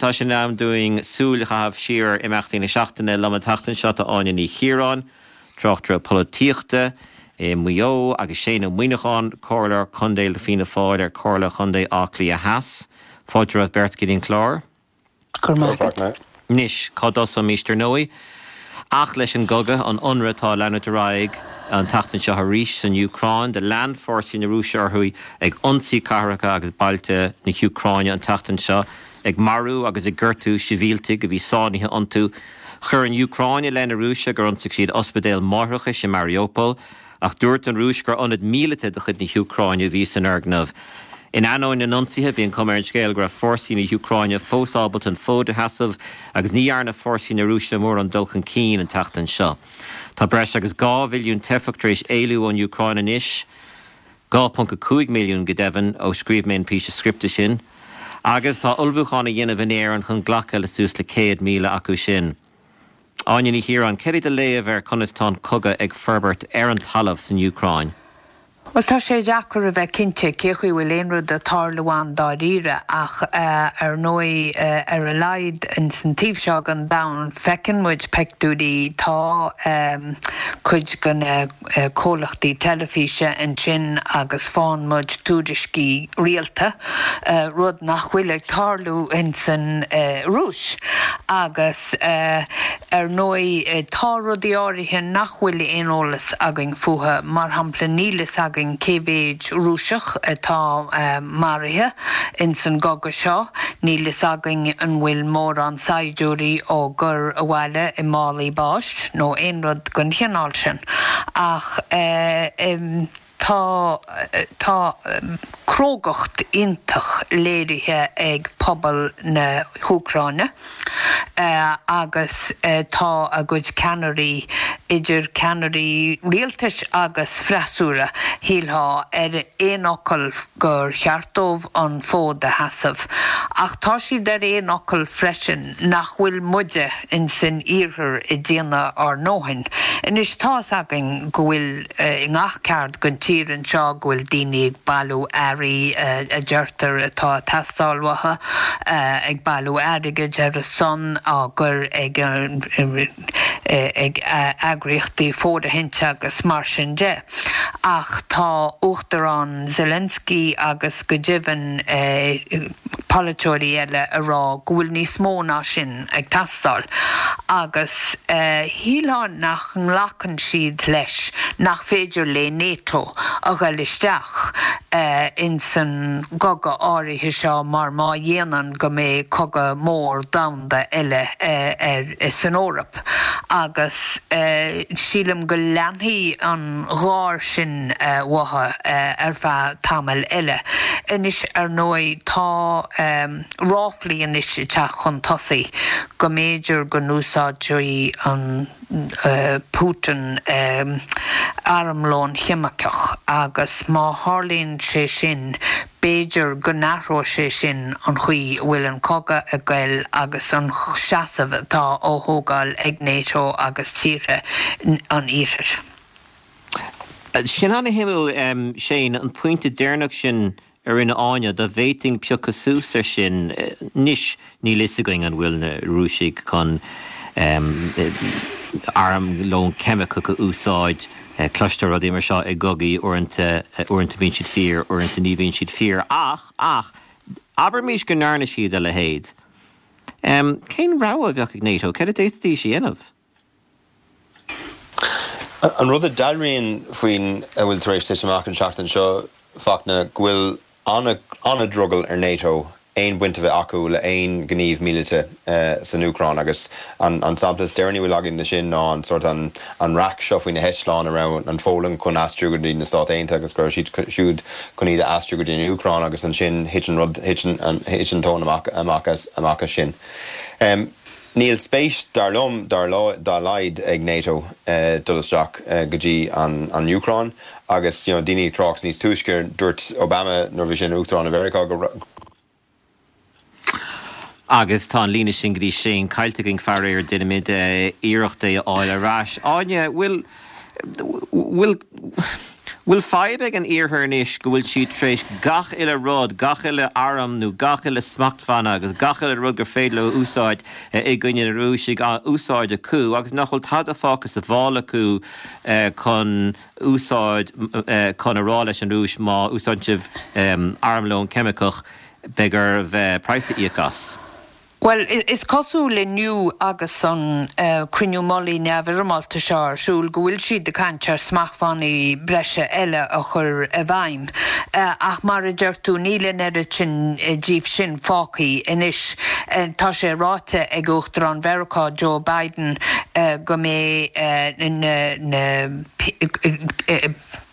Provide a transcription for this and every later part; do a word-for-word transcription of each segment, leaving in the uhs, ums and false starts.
Tá sé in am dúinn súil a chaitheamh siar ar imeachtaí na seachtaine. Liom an tseachtain seo tá Áine Ní Chiaráin, tráchtaire polaitíochta i Maigh Eo, agus Shane Ó Muíneacháin, Comhairleoir Contae le Fianna Fáil ar Comhairle Chontae Átha Cliath Theas. Fáilte romhaibh beirt go dtí an clár. Go raibh maith agat. Anois, cá dtosóimis ar ndóigh? Ach leis an gcogadh, an ionradh atá ag leanúint ar aghaidh an tseachtain seo arís san Úcráin, do lean fórsaí na Rúise orthu ag ionsaí cathracha agus bailte na hÚcráine an tseachtain seo, ag marú agus ag gortú sibhialtaigh a bhí sáinnithe iontu. Chuir an Úcráin i leith na Rúise gur ionsaigh siad ospidéal máithreachais i Mariupol, ach dúirt an Rúis gur ionad míleata de chuid na hÚcráine a bhí san fhoirgneamh. In ainneoin na n-ionsaithe, bhí an chuma ar an scéal go raibh fórsaí na hÚcráine fós ábalta an fód a sheasamh agus ní dhearna fórsaí na Rúise mórán dul chun cinn an tseachtain seo. Tá breis agus dhá mhilliún teifeach tar éis éalú ón Úcráin anois, dhá ponc a cúig milliún go deimhin, ó scríobh mé an píosa scripte sin, agus tá ullmhúchán á dhéanamh in Éirinn chun glacadh le suas le céad míle acu sin. Áine Ní Chiaráin, céard é do léamh ar conas tá an cogadh ag forbairt ar an talamh san Úcráin? Bhuel, tá sé deacair a bheith cinnte cé chaoi bhfuil aon rud ag tarlú ann dáiríre ach ar ndóigh ar a laghad ins an taobh seo den domhan feiceann muid pictiúirí, tá cuid de na comhlachtaí teilifíse ansin agus faigheann muid tuairiscí rialta, rud nach bhfuil ag tarlú ins an Rúis. Agus ar ndóigh tá rudaí áirithe nach bhfuil aon eolas againn fúthu, mar shampla níl fhios againn cé mhéid Rúiseach atá maraithe ins an gcogadh seo, níl fhios againn an bhfuil mórán saighdiúirí á gcur abhaile i málaí báis nó aon rud den chineál sin. Ach tá tá crógacht iontach léirithe ag pobal na hÚcráine agus tá a gcuid ceannairí, idir ceannairí rialtais agus freasúra, shílfeá, ar aon fhocal gur cheart dóibh an fód a sheasamh. Ach tá siad ar aon fhocal freisin nach bhfuil muide ins an iarthar ag déanamh ár ndóthain. Anois tá's againn go bhfuil i ngach ceard den tír anseo go bhfuil daoine ag bailiú earraí a deirtear atá ag teastáil uathu, ag bailiú airgid ar a son, á gcur ag ag eagraíochtaí fóirithinte agus mar sin de. Ach tá Uachtarán Zelensky agus go deimhin polaiteoirí eile ag rá go bhfuil níos mó ná sin ag teastáil agus shílfeá nach nglacann siad leis nach féidir le NATO a ghoil isteach ins an gcogadh áirithe seo mar má dhéanann go mbeidh cogadh mór domhanda eile ar san Eoraip agus sílim go leanfaidh an gháir sin uathu ar feadh tamaill eile. Anois ar ndóigh tá ráflaí anois ag teacht chun tosaigh go mb'fhéidir go n-úsáidfidh an Putin armlón cheimiceach agus má tharlaíonn sé sin b'fhéidir go n-athróidh sé sin an chaoi a bhfuil an cogadh ag goil agus an seasamh atá á thógáil ag NATO agus tíortha an Iarthair. Sin an-shuimiúil, Shane, an pointe deireanach sin a rinne Áine, dá bhféadfainn piocadh suas air sin. Anois, níl fhios againn an bhfuil na Rúisigh chun armlón ceimiceach a úsáid. Cloistear rudaí mar seo i gcogaí, uaireanta, uaireanta bíonn siad fíor, uaireanta ní bhíonn siad fíor. Ach, ach, abraimis go ndearna siad a leithéid. Cén rogha a bheadh ag NATO? Céard a d'fhéadfaidís a dhéanamh? An rud a dealraíonn faoin a bhfuil tar éis titim amach an tseachtain seo, Fachtna, go bhfuil an-drogall ar NATO aon bhaint a bheith acu le haon ghníomh míleata san Úcráin agus an sampla is deireanaí a bhfuil againn de sin ná an sórt an an raic seo faoi na heitleáin a raibh an Pholainn chun aistriú go dtí na Stáit Aontaithe agus go raibh siad siúd chun iad a aistriú go dtí an Úcráin agus ansin thit an rud thit an thit an tóin amach amach as amach as sin. Níl spéis, dar liom, dá laghad ag NATO dul isteach go dtí an Úcráin agus you know daoine ag trácht níos túisce, dúirt Obama nuair a bhí sé ina Uachtarán i Mheiriceá go Agus tá an líne sin go dtí Shane caillte againn, faraor, déanfaimid iarracht é a fháil ar ais. Áine, bhfuil, bhfuil, Bhfuil fadhb ag an Iarthar anois go bhfuil siad tar éis gach uile rud, gach uile arm nó gach uile smachtbhanna agus gach uile rud gur féidir leo úsáid i gcoinne na Rúise á úsáid acu agus nach bhfuil tada fágtha sa mhála acu chun úsáid chun a rá leis an Rúis má úsáideann sibh armlón ceimiceach beidh oraibh praghas a íoc as? Bhuel, is cosúil inniu agus an cruinniú mullaigh neamhfhoirmeálta seo ar siúl go bhfuil siad ag caint ar smachtbhannaí breise eile a chur i bhfeidhm. Ach mar a deir tú, níl an oiread sin díobh sin fágtha anois. Tá sé ráite ag Uachtarán Mheiriceá Joe Biden go mbeidh na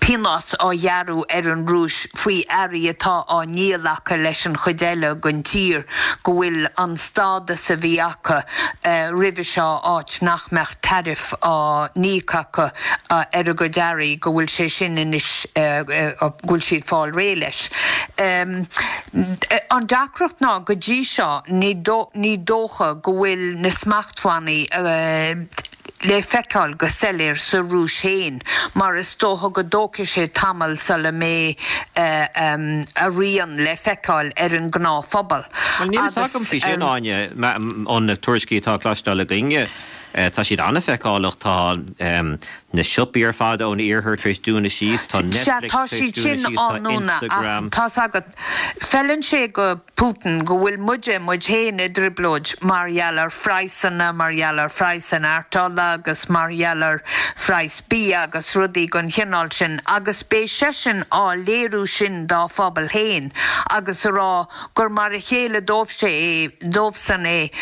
pionós á ghearradh ar an Rúis faoi earraí atá á ndíol acu leis an chuid eile den tír, go bhfuil an stádas a bhí acu roimhe seo, áit nach mbeadh tariff á n-íoc acu ar a gcuid earraí, go bhfuil sé sin anois, go bhfuil siad fáil réidh leis. An deacracht ná go dtí seo ní dócha go bhfuil na smachtbhannaí, le feiceáil go soiléir sa Rúis féin, mar is dócha go dtógfaidh sé tamall sula mbeidh a rian le feiceáil ar an ngnáthphobal. Bhuel, níl a fhios agam faoi sin, Áine, ó na tuairiscí atá cloisteáil againne, tá siad an-fheiceálach, tá na siopaí ar fad ón iarthar tar éis dúnadh síos, tá Netflix tar éis dúnadh síos, tá Instagram. Tá's agat, feileann sé go Putin go bhfuil muide, muid féin i dtrioblóid mar gheall ar phraghsanna, mar gheall ar phraghas an artola agus mar gheall ar phraghas bia agus rudaí den chineál sin agus beidh seisean á léiriú sin dá phobal féin agus a rá gur mar a chéile dóibhse é, dóibhsean é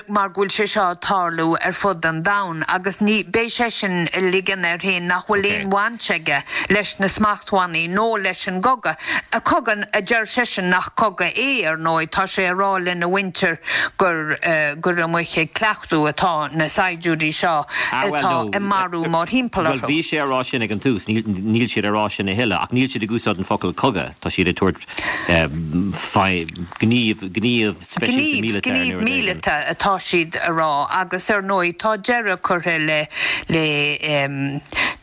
mar go bhfuil sé seo ag tarlú ar fud an domhain agus ní, beidh seisean ag ligean air féin nach bhfuil aon bhaint aige leis na smachtbhannaí nó leis an gcogadh, cogadh a deir seisean nach cogadh é. Ar ndóigh, tá sé ag rá lena mhuintir gur gur amuigh ag cleachtadh atá na saighdiúirí seo atá ag marú mórthimpeall orthu. Bhuel, bhí sé á rá sin ag an tús. Níl siad ag rá sin a thuilleadh, ach níl siad ag úsáid an focal cogadh. Tá siad ag tabhairt gníomh, gníomh speisialta míleata ar Gníomh míleata atá siad a rá agus ar ndóigh tá deireadh curtha le le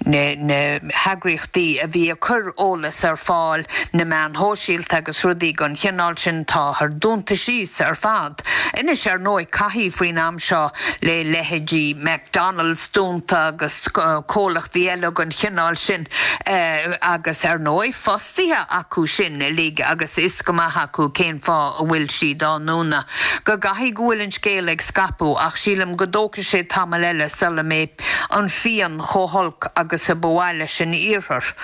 na heagraíochtaí a bhí ag cur eolas ar fáil, na meáin shóisialta agus rudaí den chineál sin, táthar dúnta síos ar fad. Anois, ar ndóigh, caithfidh faoin am seo le leithéidí McDonald's dúnta agus comhlachtaí eile den chineál sin agus, ar ndóigh, fostaithe acu sin uilig agus is go maith acu cén fáth a bhfuil siad á ndúnadh. Go gcaithfidh go bhfuil an scéal ag scaipeadh ach sílim go dtógfaidh sé tamall eile sula mbeidh an phian chomh holc agus a ba mhaith leis an Iarthar.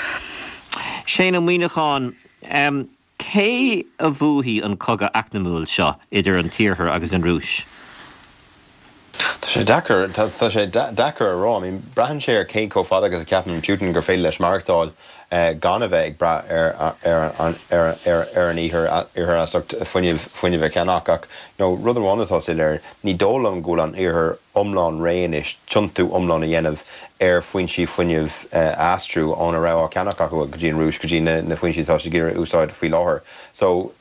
Shane Ó Muíneacháin, Cé a bhuafaidh an cogadh eacnamúil seo idir an tIarthar agus an Rúis? Tá sé deacair, tá sé deacair a rá. I mean, braitheann sé ar cé chomh fada agus a cheapann Putin gur féidir leis maireachtáil gan a bheith ag brath ar ar ar ar ar an Iarthar Iarthar as ucht fuinneamh fuinneamh a cheannach. Ach, you know, rud amháin atá soiléir, ní dóigh liom go bhfuil an Iarthar iomlán réidh anois tiontú iomlán a dhéanamh ar foinsí fuinnimh a aistriú óna raibh á ceannach acu go dtí an Rúis go dtí na foinsí atá siad ag iarraidh a úsáid faoi láthair. So,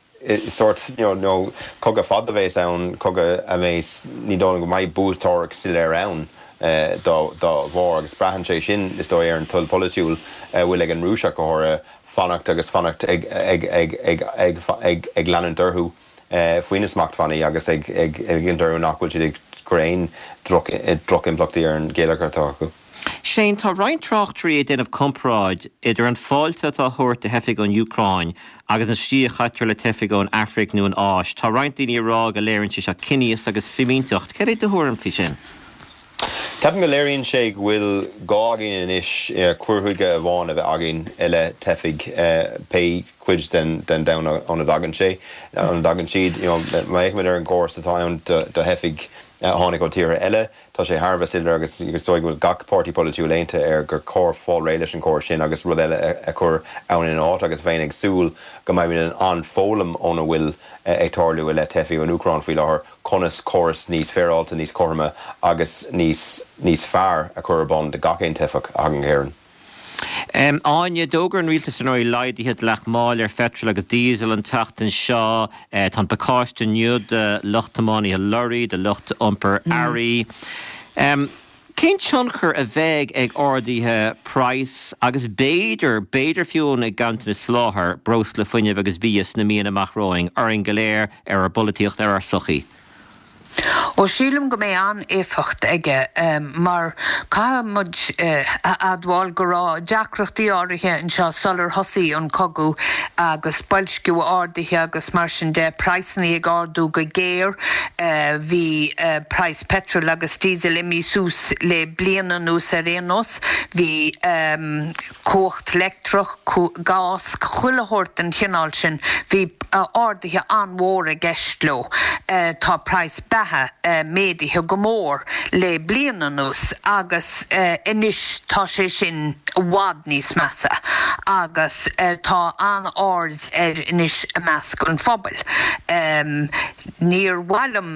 sórt, you know, cogadh fada a bheas ann, cogadh a mbeas, ní dóigh liom go mbeidh buaiteoir soiléir ann dá dá bharr agus braitheann sé sin, is dóigh, ar an toil pholaitiúil a bhfuil ag an Rúis ach go háirithe, fanacht agus fanacht ag ag ag ag ag ag ag leanúint orthu faoi na smachtbhannaí agus ag ag ligint orthu nach bhfuil siad ag cur aon droch drochimpleachtaí ar an gheilleagar atá acu. Shane, tá roinnt tráchtairí ag déanamh comparáid idir an fáilte atá á thabhairt do theifigh ón Úcráin agus an tslí a chaitear le teifigh ón Afraic nó an Áis. Tá roinnt daoine ag rá go léiríonn sé seo ciníochas agus fimínteacht. Cad é do thuairim faoi sin? Ceapaim go léiríonn sé go bhfuil gá againn anois cur chuige amháin a bheith againn i leith teifigh, pé cuid den domhan óna dtagann sé, óna dtagann siad. You know, má fhéachaimid ar an gcóras atá ann do theifigh a tháinig ó tíortha eile, tá sé thar a bheith soiléir agus is dóigh go bhfuil gach páirtí polaitiúil aontaithe air gur chóir fáil réidh leis an gcóras sin agus rud eile a chur ann ina áit agus bheinn ag súil go mbeimid in ann foghlaim óna bhfuil ag tarlú i leith teifigh ón Úcráin faoi láthair, conas córas níos féaráilte, níos cothroime agus níos níos fearr a chur ar bun do gach aon teifeach a thagann go hÉirinn. Áine, d'fhógair an rialtas ar ndóigh laghduithe dleacht máil ar pheitreal agus díosal an tseachtain seo. Tá an pacáiste inniu do lucht tiománaithe lorraí, do lucht iompair earraí. Cén tionchar a bheidh ag arduithe praghas agus b'fhéidir, b'fhéidir fiú ag ganntanas soláthair, breosla, fuinnimh agus bia sna míonna amach romhainn, orainn go léir, ar ár bpolaitíocht, ar ár sochaí? Ó sílim go mbeidh an-éifeacht aige mar caithfidh muid a admháil go raibh deacrachtaí áirithe anseo sular thosaigh an cogadh agus boilsciú ardaithe agus mar sin de, praghsanna ag ardú go géar. Bhí praghas peitril agus díosail imithe suas le bliain anuas ar aon nós. Bhí cumhacht leictreach, gás, chuile shórt den chineál sin, bhí arduithe an-mhór i gceist leo. Tá praghas beatha méadaithe go mór le bliain anuas agus anois tá sé sin i bhfad níos measa agus tá an-aird air anois i measc an phobail. Níor mhaith liom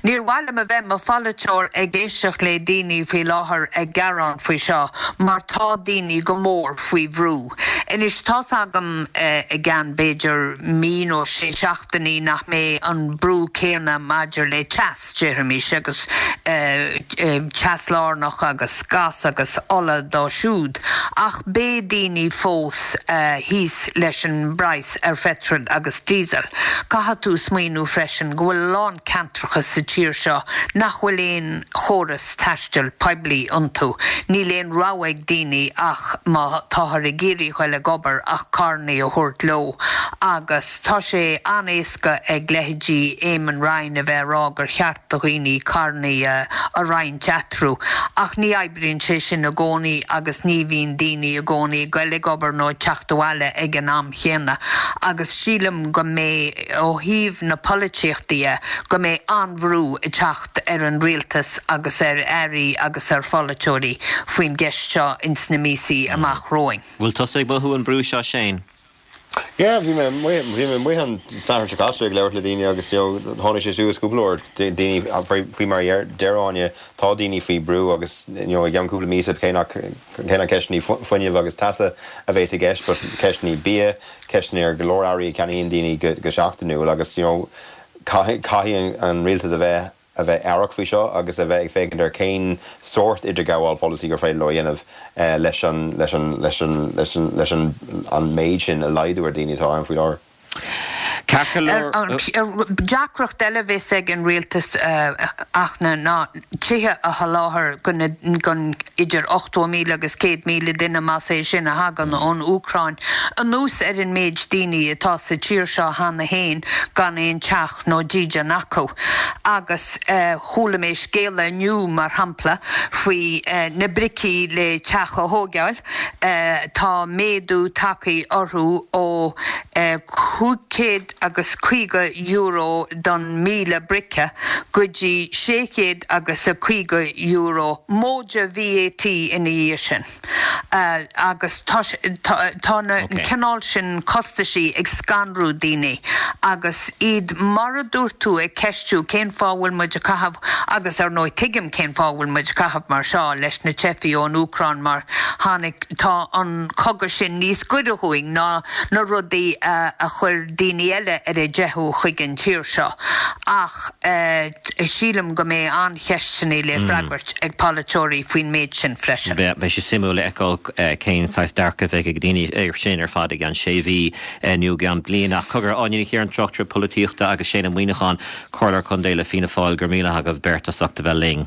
níor mhaith liom a bheith i mo pholaiteoir ag éisteacht le daoine faoi láthair ag gearán faoi seo mar tá daoine go mór faoi bhrú. Anois tá's agam i gceann b'fhéidir mí nó sé seachtainí nach mbeidh an brú céanna maidir le teas, déarfaimis, agus teas lárnach agus gás agus ola dó siúd, ach beidh daoine fós thíos leis an bpraghas ar pheitreal agus díosal. Caithfidh tú smaoineamh freisin go bhfuil a lán ceantracha sa tír seo nach bhfuil aon chóras taistil poiblí iontu. Níl aon rogha ag daoine ach má táthar ag iarraidh a ghoil ag obair ach carrannaí a thabhairt leo agus tá sé an-éasca ag leithéidí Eamon Ryan a bheith ag rá gur cheart do dhaoine carrannaí a roinnt eatarthu ach ní oibríonn sé sin i gcónaí agus ní bhíonn daoine i gcónaí ag goil ag obair nó ag teacht abhaile ag an am chéanna agus sílim go mbeidh, ó thaobh na polaitíochta de, go mbeidh an-bhrú ag teacht ar an rialtas agus ar airí agus ar pholaiteoirí faoin gceist seo ins na míosaí amach romhainn. Bhfuil tusa ag mothú an brú seo Shane? Yeah, bhí mé amuigh, bhí mé amuigh an Satharn seo caite ag labhairt le daoine agus you know, tháinig sé suas cúpla uair, daoine faoi mar a deir Áine, tá daoine faoi brú agus you know, i gceann cúpla míosa cé nach cé nach ceisteanna fuinnimh agus teasa a bheas i gceist, but ceisteanna bia, ceisteanna ar go leor earraí a cheannaíonn daoine go, go seachtainiúil agus you know, caithfidh, caithfidh an rialtas a bheith a bheith aireach faoi seo agus a bheith ag féachaint ar cén sórt idirghabháil polasaí gur féidir leo a dhéanamh leis an leis an leis an leis an leis an an méid sin a laghdú ar dhaoine atá ann faoi láthair. Ceart go leor. Deacracht eile a bheas ag an rialtas Fhachtna ná tithe a sholáthar don idir ochtó míle agus céad míle duine, más é sin, a thagann ón Úcráin, anuas ar an méid daoine atá sa tír seo cheana féin gan aon teach nó dídean acu. Agus chuala mé scéala inniu, mar shampla, faoi na bricí le teach a thógáil, tá méadú tagtha orthu ó cúig chéad agus caoga euro don míle brice go dtí sé chéad agus a caoga euro, móide VAT ina dhiaidh sin. Agus tá tá na cineál sin costaisí ag scanrú daoine agus iad, mar a dúirt tú, ag ceistiú cén fáth a bhfuil muid ag caitheamh, agus ar ndóigh tuigim cén fáth a bhfuil muid ag caitheamh mar seo leis na teifigh ón Úcráin mar tháinig, tá an cogadh sin níos gaire dhúinn ná na rudaí a chuir daoine eile ar a dteitheadh chuig an tír seo. Ach sílim go mbeidh an-cheisteanna le freagairt ag polaiteoirí faoin méid sin freisin. Beidh sé suimiúil a fheiceáil cén saghas dearcadh a bheidh ag daoine air sin ar fad i gceann sé mhí nó i gceann bliain. Ach cogar, Áine Ní Chiaráin, tráchtaire polaitíochta agus Shane Ó Muíneacháin, Comhairleoir Contae le Fianna Fáil, go raibh míle maith agaibh beirt as ucht a bheith linn.